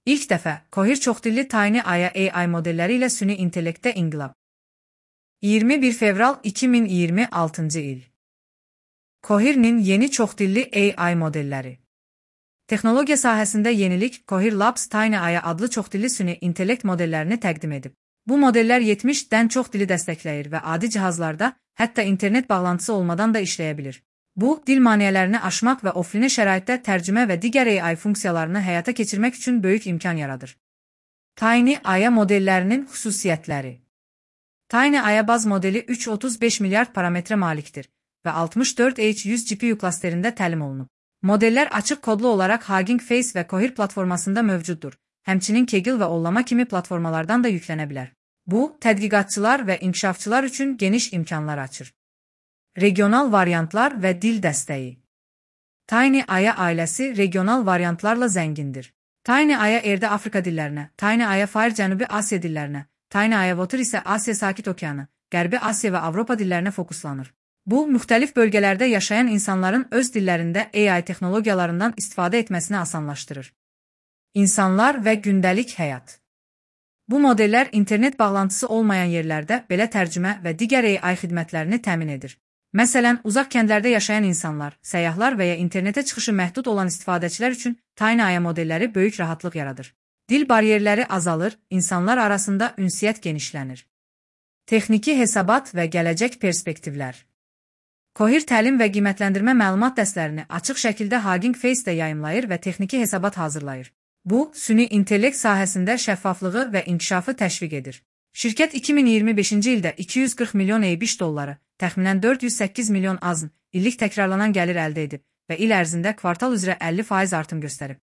İlk dəfə Cohere çoxdilli Tiny Aya AI modelləri ilə süni intellektdə inqilab. 21 fevral 2026 il. Cohere'nin yeni çoxdilli AI modelləri. Texnologiya sahəsində yenilik Cohere Labs Tiny Aya adlı çoxdilli süni intellekt modellərini təqdim edib. Bu modellər 70-dən çox dili dəstəkləyir və adi cihazlarda, hətta internet bağlantısı olmadan da işləyə bilir. Bu, dil maneələrini aşmaq və offline şəraitdə tərcümə və digər AI funksiyalarını həyata keçirmək üçün böyük imkan yaradır. Tiny Aya modellərinin xüsusiyyətləri. Tiny Aya baz modeli 335 milyard parametrə malikdir və 64H100 GPU klasterində təlim olunub. Modellər açıq kodlu olaraq Hugging Face və Cohere platformasında mövcuddur, həmçinin Kaggle və Ollama kimi platformalardan da yüklənə bilər. Bu, tədqiqatçılar və inkişafçılar üçün geniş imkanlar açır. Regional variantlar və dil dəstəyi. Tiny Aya ailəsi regional variantlarla zəngindir. Tiny Aya Air'də Afrika dillərinə, Tiny Aya Fire Cənubi Asiya dillərinə, Tiny Aya Water isə Asiya Sakit Okeanı, Qərbi Asiya və Avropa dillərinə fokuslanır. Bu, müxtəlif bölgələrdə yaşayan insanların öz dillərində AI texnologiyalarından istifadə etməsini asanlaşdırır. İnsanlar və gündəlik həyat. Bu modellər internet bağlantısı olmayan yerlərdə belə tərcümə və digər AI xidmətlərini təmin edir. Məsələn, uzaq kəndlərdə yaşayan insanlar, səyyahlar və ya internetə çıxışı məhdud olan istifadəçilər üçün Tiny Aya modelləri böyük rahatlıq yaradır. Dil bariyerləri azalır, insanlar arasında ünsiyyət genişlənir. Texniki hesabat və gələcək perspektivlər. Cohere təlim və qiymətləndirmə məlumat dəstlərini açıq şəkildə Hugging Face-də yayımlayır və texniki hesabat hazırlayır. Bu, süni intellekt sahəsində şəffaflığı və inkişafı təşviq edir. Şirkət 2025-ci ildə 240 milyon $5, təxminən 408 milyon AZN illik təkrarlanan gəlir əldə edib və il ərzində kvartal üzrə 50% artım göstərib.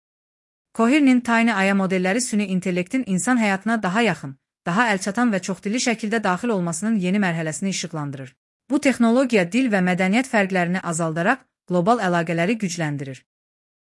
Cohere'nin Tiny Aya modelləri süni intellektin insan həyatına daha yaxın, daha əlçatan və çoxdilli şəkildə daxil olmasının yeni mərhələsini işıqlandırır. Bu texnologiya dil və mədəniyyət fərqlərini azaldaraq qlobal əlaqələri gücləndirir.